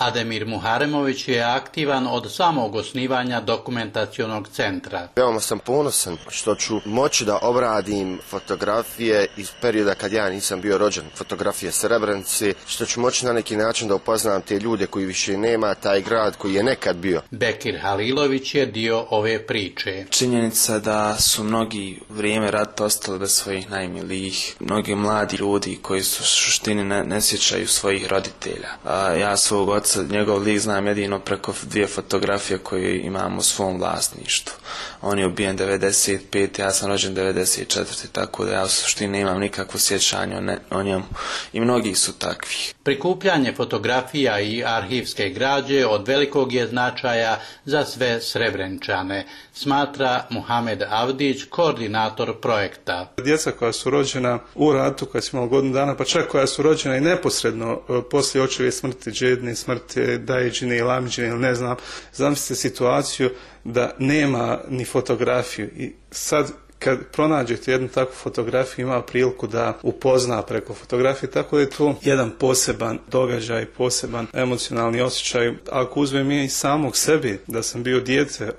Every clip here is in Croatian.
Ademir Muharemović je aktivan od samog osnivanja dokumentacionog centra. Veoma sam ponosan što ću moći da obradim fotografije iz perioda kad ja nisam bio rođen, fotografije Srebrenice, što ću moći na neki način da upoznam te ljude koji više nema, taj grad koji je nekad bio. Bekir Halilović je dio ove priče. Činjenica da su mnogi u vrijeme rata ostali bez svojih najmilijih, mnogi mladi ljudi koji su u suštini ne sjećaju svojih roditelja. Ja svog oca, njegov lik znam jedino preko 2 fotografije koje imam u svom vlasništvu. On je ubijen 95, ja sam rođen 94, tako da ja u suštini nemam nikakvo sjećanje o njemu. I mnogi su takvi. Prikupljanje fotografija i arhivske građe od velikog je značaja za sve Srebreničane, smatra Muhamed Avdić, koordinator projekta. Djeca koja su rođena u ratu, koja su imala godinu dana, pa čak koja su rođena i neposredno poslije očeve smrti, džedne smrti, dajđine ili amđine ili ne znam, zamislite situaciju da nema ni fotografiju i sad kad pronađete jednu takvu fotografiju ima priliku da upozna preko fotografije, tako da je to jedan poseban događaj, poseban emocionalni osjećaj. Ako uzmem i samog sebe, da sam bio dijete,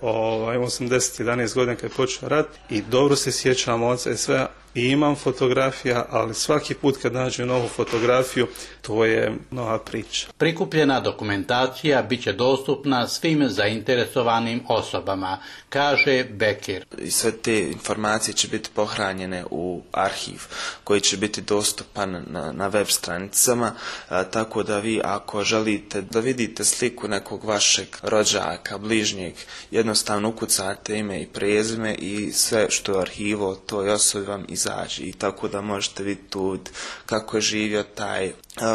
imao sam 10-11 godina kad je počeo rat i dobro se sjećam oca i sve, i imam fotografija, ali svaki put kad nađem novu fotografiju, to je nova priča. Prikupljena dokumentacija bit će dostupna svim zainteresovanim osobama, kaže Bekir. I sve te informacije će biti pohranjene u arhiv koji će biti dostupan na web stranicama, tako da vi ako želite da vidite sliku nekog vašeg rođaka, bližnjeg, jednostavno ukucate ime i prezime i sve što je arhivo toj osobi vam izađe i tako da možete vidjeti tu kako je živio taj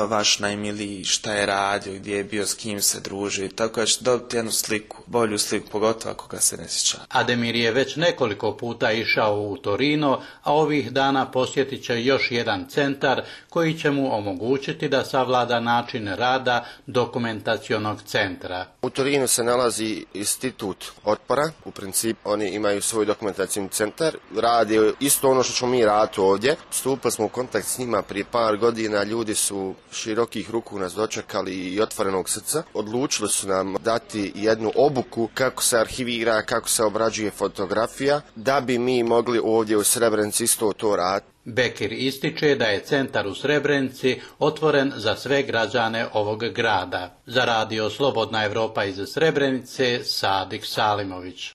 vaš najmiliji, šta je radio, gdje je bio, s kim se družio, tako da ćete dobiti jednu sliku, bolju sliku, pogotovo ako ga se ne sjeća. Ademir je već nekoliko puta išao u Torino, a ovih dana posjetit će još jedan centar koji će mu omogućiti da savlada način rada dokumentacionog centra. U Torinu se nalazi institut otpora, u principu oni imaju svoj dokumentacijni centar, rade isto ono što ćemo mi raditi ovdje. Stupili smo u kontakt s njima prije par godina, ljudi su širokih ruku nas dočekali i otvorenog srca. Odlučili su nam dati jednu obuku kako se arhivira, kako se obrađuje fotografija, da bi mi mogli ovdje u Srebrenici isto to raditi. Bekir ističe da je centar u Srebrenici otvoren za sve građane ovog grada. Za radio Slobodna Evropa iz Srebrenice, Sadik Salimović.